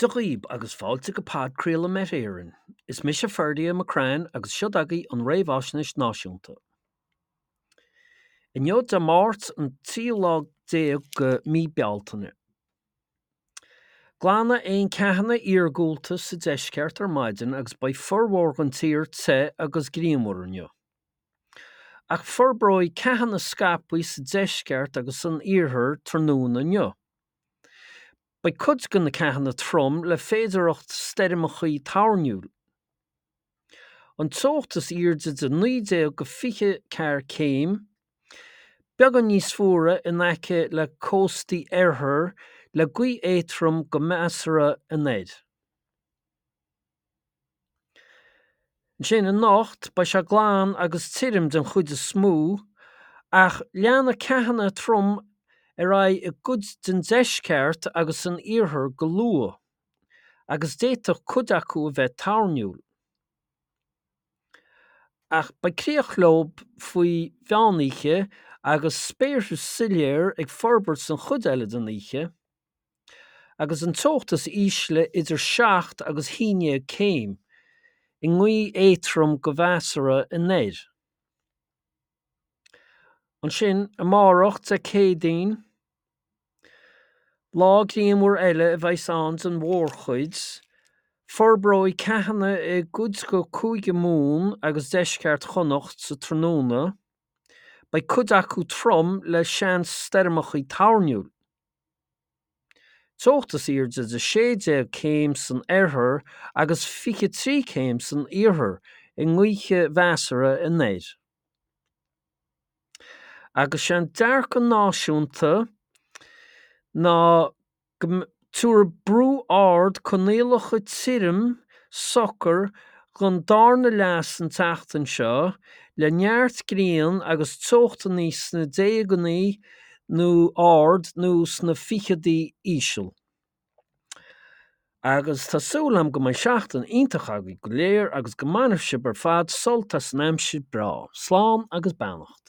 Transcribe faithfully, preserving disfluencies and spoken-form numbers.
Dia dhaoib agus fáilte go podchraoladh Met Éireann. Is mise Ferdia McCrann agus seo agaibh an Réamhaisnéis Náisiúnta. Inniu Dé Máirt an tríú lá déag de mí Bealtaine. Glanfaidh aon ceathanna iargúlta sa deisceart ar maidin agus beidh formhór den tír te agus grianmhar inniu. Ach forbróidh ceathanna scaipthe sa deisceart agus san iarthar tráthnóna inniu. Beidh cuid de na ceathanna trom le féidearthacht stoirmeacha toirniúil. An teocht is airde de naoi déag go fiche ceathair céim, beagán níos fuaire in aice le cóstaí oirthir le gaoth éadrom go measartha anoir. Ansin anocht beidh sé glan agus tirim den chuid is mó, ach leanfaidh ceathanna trom ar aghaidh i gcuid den deisceart agus san iarthar go luath, agus d'fhéadfadh cuid acu a bheith toirniúil. Ach beidh críoch leo faoi mheánoíche agus spéartha soiléir ag forbairt san chuid eile den oíche, agus an teocht is ísle idir seacht agus haon déag céim, i ngaoth éadrom go measartha anoir. Ansin, amárach, Dé Céadaoin, lá grianmhar eile a bheas ann den mhórchuid, forbróidh ceathanna i gcuid de Chúige Mumhan agus deisceart Chonnacht sa tráthnóna, beidh cuid acu trom le seans stoirmeacha toirniúil. Teocht is airde de sé déag céim san oirthear agus fiche trí céim san iarthar i ngaoth mheasartha anoir. Agus sé an dearcadh náisiúnta ná go dtabharfaidh brú ard coinníollacha tirim socair don darna leath den tseachtain seo le neart grian agus teochtanna sna déaganna nó ard nó sna ficheadaí íseal. Agus tá súil agam go mbeidh seachtain iontach agaibh go léir agus go mbainfidh sibh ar fad sult as an aimsir breá. Slán agus beannacht.